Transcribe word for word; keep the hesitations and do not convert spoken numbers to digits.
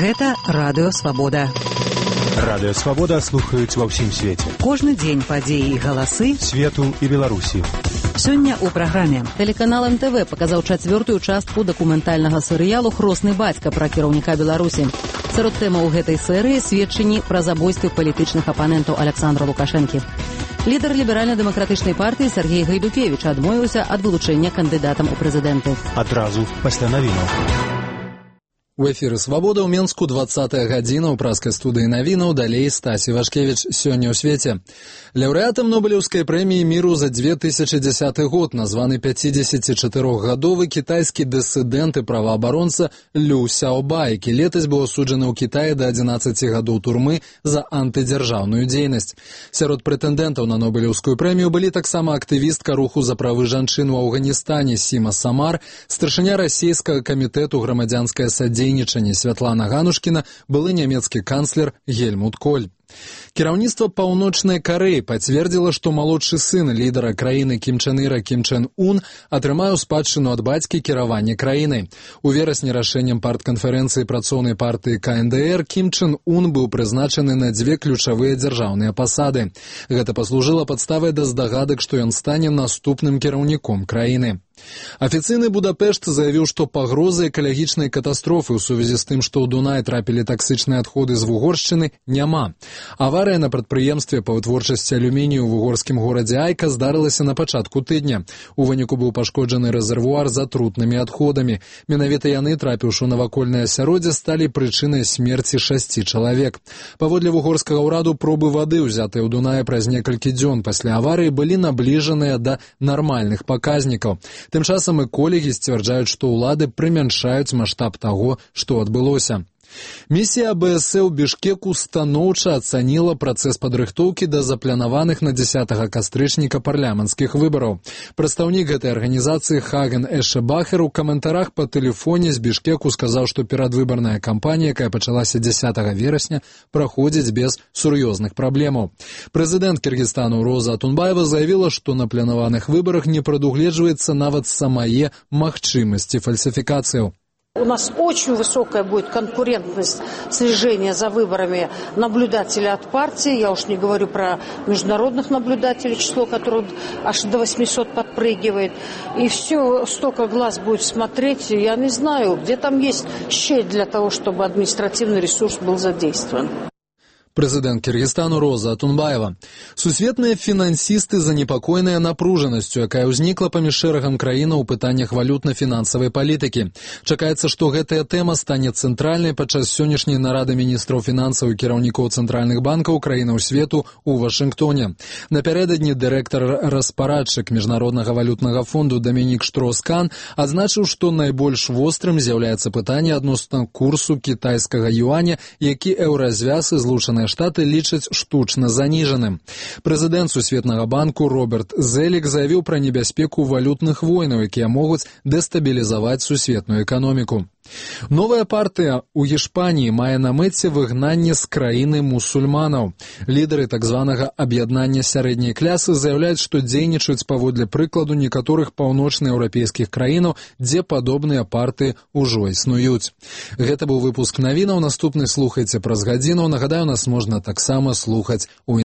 Гэта Радыё Свабода. Радыё Свабода слухаюць ва ўсім свеце. Кожны дзень падзеі і галасы свету і Беларусі. Сёння ў праграме. Тэлеканал эм тэ вэ паказаў чацвёртую частку дакументальнага серыялу «Хросны бацька» пра кіраўніка Беларусі. Сярод тэмаў гэтай серыі сведчанні пра забойствы палітычных апанентаў Аляксандра Лукашэнкі. Лідар ліберальна-дэмакратычнай партыі Сергей Гайдукевіч адмовіўся ад вылучэння кандыдатам у прэзідэнты. Адразу пасля навінаў. У эфіры «Свабода» ў Менску двадцатая гадзіна ў праскай студыі навінаў, далей Стасі Вашкевіч. Сёння ў свеце. Лаўрэатам Нобелеўскай прэміі міру за две тысячы дзесяты год названы пяцідзесяцічатырохгадовы кітайскі дысідэнт і праваабаронца Лю Сяобай, які летась быў асуджаны ў Кітаі да адзінаццаці гадоў турмы за антыдзяржаўную дзейнасць. Сярод прэтэндэнтаў на Нобелеўскую прэмію былі таксама актывістка руху за правы жанчын у Афганістане Сіма Самар, старшыня расійскага камітэту грамадзянскае садзейнічанне Святлана Ганушкіна, былы нямецкі канцлер Гельмут Коль. Кіраўніцтва Паўночнай Карэі пацвердзіла, што малодшы сын лідара краіны Кім Чен Іра Кім Чен Ун атрымаў спадчыну ад бацькі кіравання краінай. У верасні рашэннем партканферэнцыі працоўнай партыі ка эн дэ эр Кім Чен Ун быў прызначаны на дзве ключавыя дзяржаўныя пасады. Гэта паслужыла падставай да здагадак, што ён стане наступным кіраўніком краіны. Афіцыйны Будапешт заявіў, што пагрозы экалагічнай катастрофы ў сувязі з тым, што ў Дунай трапілі таксычныя адходы з Вугоршчыны, няма. Аварыя на прадпрыемстве па вытворчасці алюмінію ў вугорскім горадзе Айка здарылася на пачатку тыдня. У выніку быў пашкоджаны рэзервуар з атрутнымі адходамі. Менавіта яны, трапіўшы ў навакольнае асяроддзе, сталі прычынай смерці шасці чалавек. Паводле вугорскага ўраду, пробы вады, узятыя ў Дунаі праз некалькі дзён пасля аварыі, былі набліжаныя да нармальных паказнікаў. Тым часам эколагі сцвярджаюць, што ўлады прымяншаюць маштаб таго, што адбылося. Місія а бэ эс э ў Бішкеку станоўча ацаніла працэс падрыхтоўкі да запланаваных на дзесятага кастрычніка парламенцкіх выбараў. Прадстаўнік гэтай арганізацыі Хаген Эшебахер у каментарах па тэлефоне з Бішкеку сказаў, што перадвыбарная кампанія, якая пачалася дзесятага верасня, праходзіць без сур'ёзных праблемаў. Прэзідэнт Кіргізстану Роза Атунбаева заявіла, што на планаваных выбарах не прадугледжваецца нават самае магчымасці фальсифікацыяў. У нас очень высокая будет конкурентность слежения за выборами наблюдателей от партии. Я уж не говорю про международных наблюдателей, число которых аж до восьмисот подпрыгивает. И все, столько глаз будет смотреть. Я не знаю, где там есть щель для того, чтобы административный ресурс был задействован. Прэзідэнт Кіргізстану Роза Атунбаева. Сусветныя фінансісты занепакоеныя напружанасцю, якая ўзнікла паміж шэрагам краінаў у пытаннях валютна-фінансавай палітыкі. Чакаецца, што гэтая тэма стане цэнтральнай падчас сённяшняй нарады міністраў фінансаў і кіраўнікоў цэнтральных банкаў краінаў свету ў Вашынгтоне. Напярэдадні дырэктар распарадчык Міжнароднага валютнага фонду Дамінік Штроскан адзначыў, што найбольш вострым з'яўляецца пытанне адносна курсу кітайскага юаня, які еўразвяз і злучаныя Штаты лічаць штучна заніжаным. Прэзідэнт Сусветнага банку Роберт Зелік заявіў пра небяспеку валютных войнаў, якія могуць дэстабілізаваць сусветную эканоміку. Новая партыя ў Іспаніі мае на мэце выгнанне з краіны мусульманаў. Лідары так званага аб'яднання сярэдняй клясы заяўляюць, што дзейнічаюць паводле прыкладу некаторых паўночнаеўрапейскіх краінаў, дзе падобныя партыі ўжо існуюць. Гэта быў выпуск навінаў. Наступны слухайце праз гадзіну. Нагадаю, нас можна таксама слухаць у